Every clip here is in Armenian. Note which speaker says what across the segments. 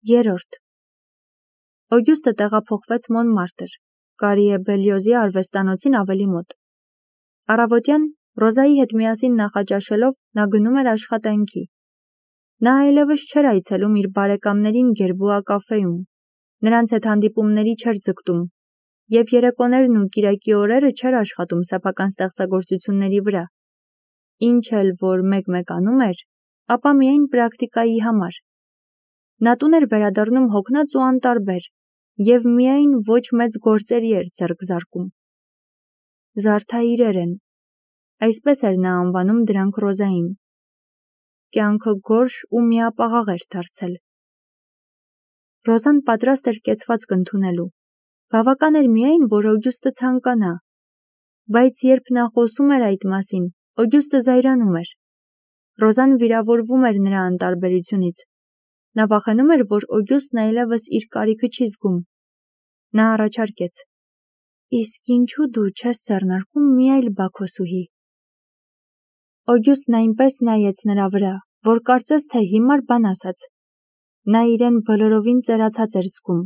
Speaker 1: Երրորդ Օգյուստը տեղափոխվեց Մոնմարտր, Կարիե Բելյոզի արվեստանոցին ավելի մոտ։ Առավոտյան Ռոզայի հետ միասին նախաճաշելով նա գնում էր աշխատանքի։ Նա այլևս չէր այցելում իր բարեկամներին Գերբուա կաֆեում, նրանց հետ հանդիպումների չէր ձգտում, և երեկոներն ու կիրակի օրերը չէր աշխատում սեփական ստեղծագործությունների վրա։ Ինչ էլ որ մեկ-մեկ անում էր, ապա միայն պրակտիկայի համար։ Նա տուն էր վերադառնում հոգնած ու անտարբեր, և միայն ոչ մեծ գործերի էր ձեռք զարկում։ Զարդաիրեր են, այսպես էր նա անվանում դրանք Ռոզային։ Կյանքը գորշ ու միապաղաղ էր դարձել։ Ռոզան պատրաստ էր կեցվածք ընդունելու։ Բավական էր միայն, որ Օգյուստը ցանկանա։ Բայց երբ նա խոսում էր այդ մասին, Օգյուստը զայրանում էր։ Ռոզան վիրավորվում էր նրա անտարբերությունից։ Նա վախենում էր, որ Օգյուստն այլևս իր կարիքը չի զգում։ Նա առաջարկեց. «Իսկ ինչու դու չես ձեռնարկում մի այլ բաքոսուհի»։ Օգյուստն այնպես նայեց նրա վրա, որ կարծես թե հիմար բան ասաց։ Նա իրեն բոլորովին ծերացած էր զգում։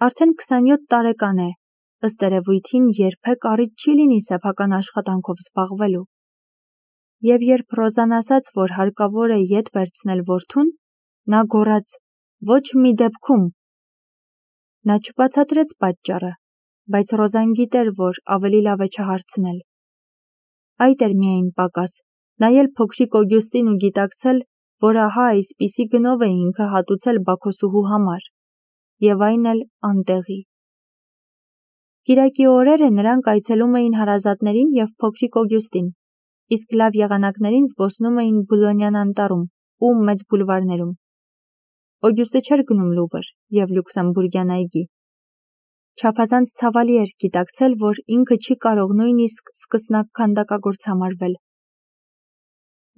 Speaker 1: Արդեն 27 տարեկան է, ըստ երևույթին երբեք առիթ չի լինի սեփական աշխատանքով զբաղվելու։ Եվ երբ Ռոզան ասաց, որ հարկավոր է ետ վերցնել որդուն, նա գոռաց. «Ոչ մի դեպքում»։ Նա չբացատրեց պատճառը, բայց Ռոզան գիտեր, որ ավելի լավ է չհարցնել։ Այդ էր միայն պակաս, նայել փոքրիկ Օգյուստին ու գիտակցել, որ ահա այսպիսի գնով է ինքը հատուցել բաքոսուհու համար, և այն էլ անտեղի։ Կիրակի օրերը նրանք այցելում էին հարազատներին և փոքրիկ Օգյուստին, իսկ լավ եղանակներին զբոսնում էին Բուլոնյան անտառում ու մեծ բուլվարներում։ Օգյուստը չէր գնում Լուվր և Լյուքսեմբուրգյան այգի։ Չափազանց ցավալի էր գիտակցել, որ ինքը չի կարող նույնիսկ սկսնակ քանդակագործ համարվել։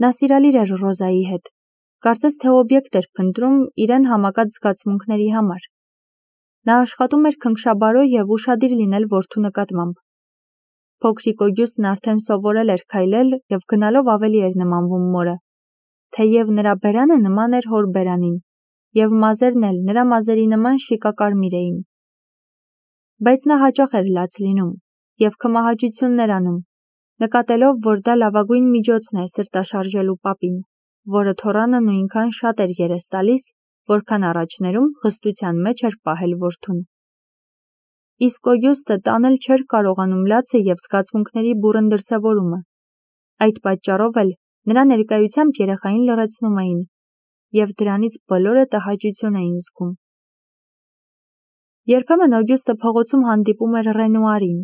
Speaker 1: Նա սիրալիր էր Ռոզայի հետ, կարծես թե օբյեկտ էր փնտրում իրեն համակած զգացմունքների համար։ Նա աշխատում էր քնքշաբարո և ուշադիր լինել որդու նկատմամբ։ Փոքրիկ Օգյուստն արդեն սովորել էր քայլել և գնալով ավելի էր նմանվում մորը, թեև նրա բերանը նման էր հոր բերանին, և մազերն էլ նրա մազերի նման շիկակարմիր էին։ Բայց նա հաճախ էր լաց լինում և քմահաճություններ անում, նկատելով, որ դա լավագույն միջոցն է սրտաշարժելու պապին, որը թոռանը նույնքան շատ էր երես տալիս, որքան առաջներում խստության մեջ էր պահել որդուն։ Իսկ Օգյուստը տանել չէր կարողանում լացը և զգացմունքների բուռն դրսևորումը։ Այդ պատճառով էլ նրա ներկայությամբ երեխային լռեցնում էին, և դրանից բոլորը տհաճություն էին զգում։ Երբեմն Օգյուստը փողոցում հանդիպում էր Ռենուարին,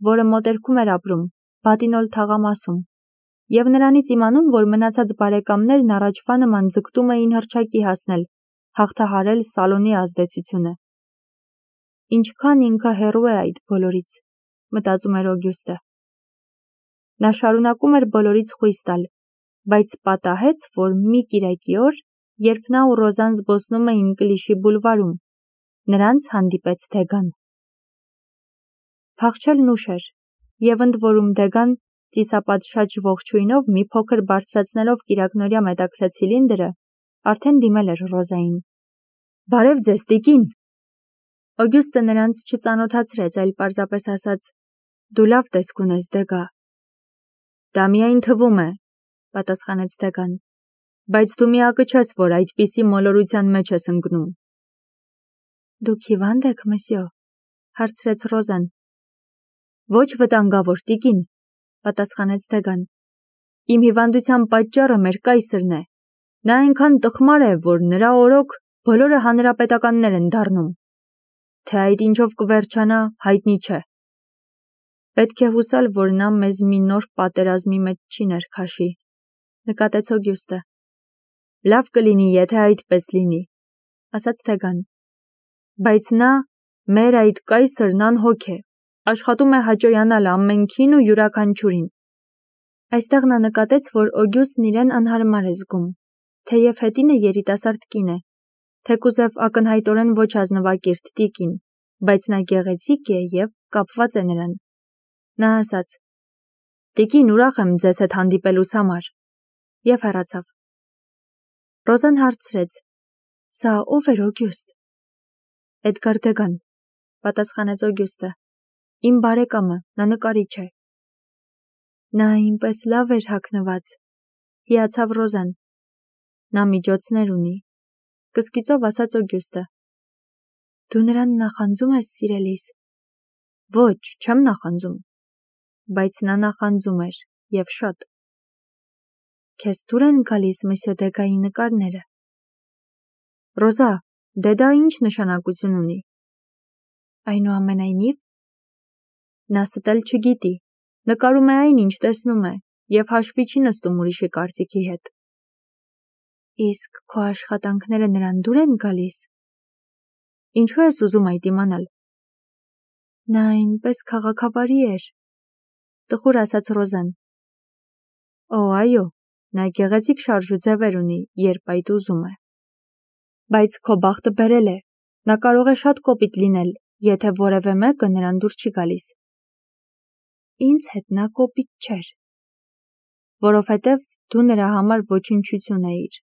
Speaker 1: որը մոտերքում էր ապրում, Բատինոլ թաղամասում, և նրանից իմանում, որ մնացած բարեկամներն առաջվա նման ձգտում էին հռչակի հասնել, հաղթահարել Սալոնի ազդեցությունը։ Ինչքան ինքը հեռու է այդ բոլորից, մտածում էր Օգյուստը։ Նա շարունակում էր բոլորից խույս տալ, բայց պատահեց, որ մի կիրակի օր, երբ նա ու Ռոզան զբոսնում էին Կլիշի բուլվարում, նրանց հանդիպեց Դեգան։ Փախչելն ուշ էր, և ընդ որում Դեգան, ծիսապատշաճ ողջույնով մի փոքր բարձրացնելով կիրակնօրյա մետաքսե ցիլինդրը, արդեն դիմել էր Ռոզային։ «Բարև ձեզ, տիկին»։ Օգյուստը նրանց չծանոթացրեց, այլ պարզապես ասաց. «Դու լավ տեսք ունես, Դեգա»։ «Դա միայն թվում է», պատասխանեց Դեգան, «բայց դու միակը չես, որ այդպիսի մոլորության մեջ ես ընկնում»։ «Դուք հիվա՞նդ եք, մսյո», հարցրեց Ռոզան։ «Ոչ վտանգավոր, տիկին», պատասխանեց Դեգան։ «Իմ հիվանդության պատճառը մեր կայսրն է։ Նա այնքան տխմար է, որ նրա օրոք բոլորը հանրապետականներ են դառնում։ Թե այդ ինչով կվերջանա, հայտնի չէ։ Պետք է հուսալ, որ նա մեզ մի նոր պատերազմի մեջ չի ներքաշի», նկատեց Օգյուստը։ «Լավ կլինի, եթե այդպես լինի», ասաց Դեգան։ «Բայց նա, մեր այդ կայսրն անհոգ է, աշխատում է հաճոյանալ ամենքին ու յուրաքանչյուրին»։ Այստեղ նա նկատեց, որ Օգյուստն իրեն անհարմար է զգում, թեև հետինը երիտասարդ կին է, թեկուզև ակնհայտորեն ոչ ազնվակիրթ տիկին, բայց նա գեղեցիկ է և կապված է նրան։ Նա ասաց. «Տիկին, ուրախ եմ ձեզ հետ հանդիպելուս համար» և հեռացավ։ Ռոզան հարցրեց. Սա ով էր Օգյուստ։ Էդգար Դեգան, պատասխանեց Օգյուստը։ Իմ բարեկամը, նա նկարիչ է։ Նա այնպես լավ էր հագնված, հիացավ Ռոզան։ Նա միջոցներ ունի, կսկիծով ասաց Օգյուստը։ Դու նրան նախանձում ես, սիրելիս։ Ոչ, չեմ նախանձում, բայց նա նախանձում էր, և շատ։ Քեզ դուր են գալիս Մսյո Դեգայի նկարները։ Ռոզա, դե դա ինչ նշանակություն ունի։ Այնուամենայնիվ, նա ստել չգիտի, նկարում է այն, ինչ տեսնում է, և հաշվի չի նստում ուրիշի կարծիքի հետ։ Իսկ քո աշխատանքները նրան դուր են գալիս։ Ինչու ես ուզում այդ իմանալ։ Նա այնպես քաղաքավարի էր, տխուր ասաց Ռոզան։ Օ, այո, նա գեղեցիկ շարժ ու ձևեր ունի, երբ այդ ուզում է։ Բայց քո բախտը բերել է, նա կարող է շատ կոպիտ լինել, եթե որևէ մեկը նրան դուր չի գալիս։ Ինձ հետ նա կոպիտ չէր, որովհետև դու նրա համար ոչնչություն էիր։